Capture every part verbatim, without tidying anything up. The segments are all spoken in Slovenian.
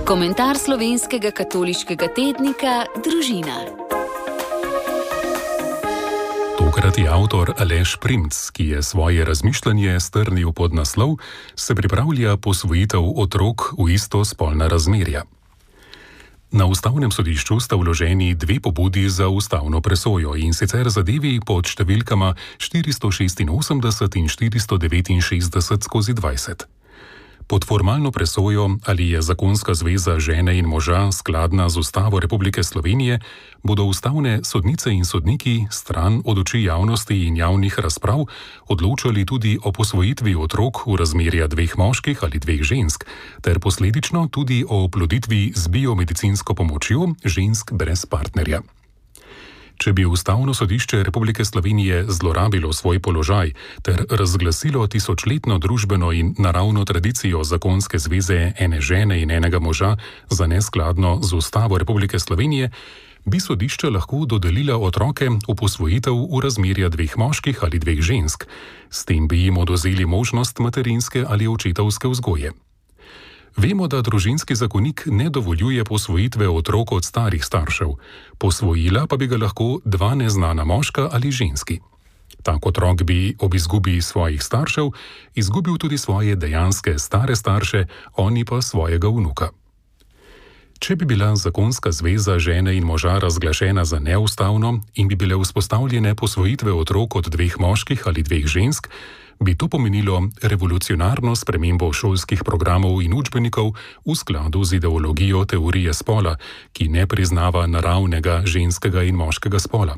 Komentar slovenskega katoliškega tednika Družina. Tokrat je avtor Aleš Primc, ki je svoje razmišljanje strnil pod naslov Se pripravlja posvojitev otrok v istospolna razmerja. Na ustavnem sodišču sta vloženi dve pobudi za ustavno presojo, in sicer zadevi pod številkama štiristo šestinosemdeset in štiristo devetinšestdeset skozi dvajset. Pod formalno presojo, ali je zakonska zveza žene in moža skladna z Ustavo Republike Slovenije, bodo ustavne sodnice in sodniki stran od oči javnosti in javnih razprav odločali tudi o posvojitvi otrok v razmerja dveh moških ali dveh žensk, ter posledično tudi o oploditvi z biomedicinsko pomočjo žensk brez partnerja. Če bi Ustavno sodišče Republike Slovenije zlorabilo svoj položaj ter razglasilo tisočletno družbeno in naravno tradicijo zakonske zveze ene žene in enega moža za neskladno z Ustavo Republike Slovenije, bi sodišče lahko dodelila otroke v posvojitev v razmerja dveh moških ali dveh žensk, s tem bi jim odvzeli možnost materinske ali očetovske vzgoje. Vemo, da družinski zakonik ne dovoljuje posvojitve otrok od starih staršev, posvojila pa bi ga lahko dva neznana moška ali ženski. Tak otrok bi ob izgubi svojih staršev izgubil tudi svoje dejanske stare starše, oni pa svojega vnuka. Če bi bila zakonska zveza žene in moža razglašena za neustavno in bi bile vzpostavljene posvojitve otrok od dveh moških ali dveh žensk, bi to pomenilo revolucionarno spremembo šolskih programov in učbenikov v skladu z ideologijo teorije spola, ki ne priznava naravnega ženskega in moškega spola.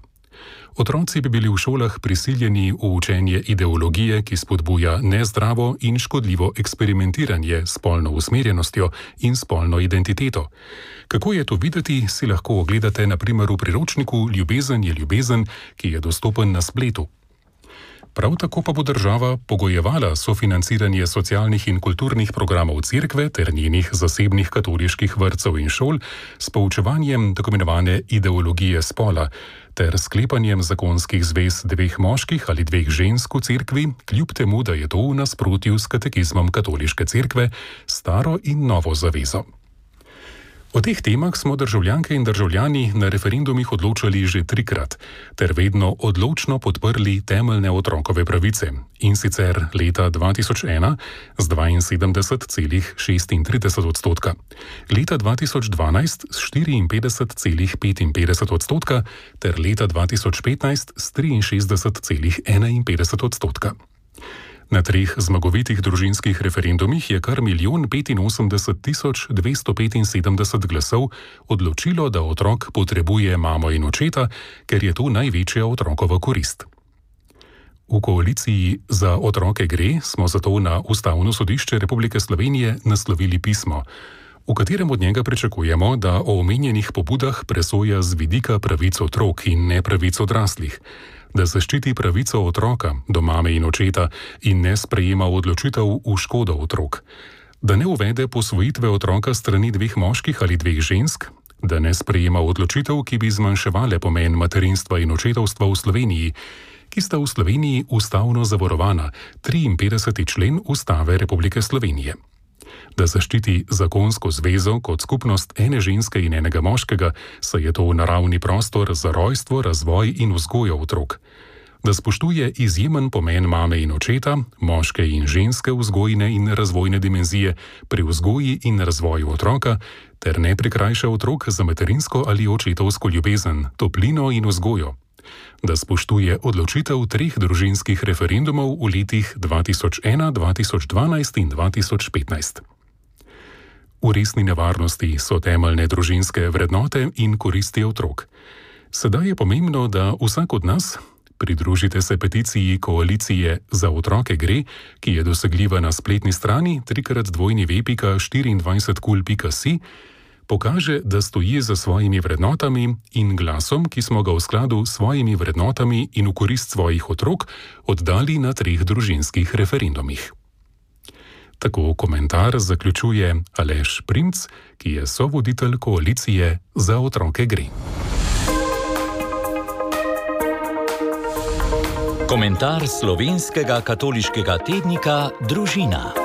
Otroci bi bili v šolah prisiljeni v učenje ideologije, ki spodbuja nezdravo in škodljivo eksperimentiranje s spolno usmerjenostjo in spolno identiteto. Kako je to videti, si lahko ogledate na primer v priročniku Ljubezen je ljubezen, ki je dostopen na spletu. Prav tako pa bo država pogojevala sofinanciranje socialnih in kulturnih programov cerkve ter njenih zasebnih katoliških vrtcev in šol s poučevanjem tako imenovane ideologije spola ter sklepanjem zakonskih zvez dveh moških ali dveh žensk v cerkvi, kljub temu, da je to v nasprotju s katekizmom katoliške cerkve, staro in novo zavezo. O teh temah smo državljanke in državljani na referendumih odločali že trikrat, ter vedno odločno podprli temeljne otrokove pravice, in sicer leta dva tisoč ena z dvainsedemdeset celih šestintrideset odstotka, leta dva tisoč dvanajst s štiriinpetdeset celih petinpetdeset odstotka ter leta dva tisoč petnajst s triinšestdeset celih enainpetdeset odstotka. Na treh zmagovitih družinskih referendumih je kar milijon petinosemdeset tisoč dvesto petinsedemdeset glasov odločilo, da otrok potrebuje mamo in očeta, ker je to največja otrokova korist. V koaliciji Za otroke gre smo zato na Ustavno sodišče Republike Slovenije naslovili pismo, v katerem od njega pričakujemo, da o omenjenih pobudah presoja z vidika pravic otrok in ne pravic odraslih, da zaščiti pravico otroka do mame in očeta in ne sprejema odločitev v škodo otrok, da ne uvede posvojitve otroka strani dveh moških ali dveh žensk, da ne sprejema odločitev, ki bi zmanjševale pomen materinstva in očetovstva v Sloveniji, ki sta v Sloveniji ustavno zavarovana, triinpetdeseti člen Ustave Republike Slovenije. Da zaščiti zakonsko zvezo kot skupnost ene ženske in enega moškega, saj je to naravni prostor za rojstvo, razvoj in vzgojo otrok. Da spoštuje izjemen pomen mame in očeta, moške in ženske vzgojne in razvojne dimenzije pri vzgoji in razvoju otroka, ter ne prikrajša otrok za materinsko ali očetovsko ljubezen, toplino in vzgojo. Da spoštuje odločitev treh družinskih referendumov v letih dva tisoč ena, dva tisoč dvanajst in dva tisoč petnajst. V resni nevarnosti so temeljne družinske vrednote in koristi otrok. Sedaj je pomembno, da vsak od nas, pridružite se peticiji koalicije Za otroke gre, ki je dosegljiva na spletni strani trikrat dvojni ve pika štiriindvajset kul pika si, pokaže, da stoji za svojimi vrednotami in glasom, ki smo ga v skladu s svojimi vrednotami in v korist svojih otrok oddali na treh družinskih referendumih. Tako komentar zaključuje Aleš Primc, ki je sovoditelj koalicije Za otroke gre. Komentar slovenskega katoliškega tednika Družina.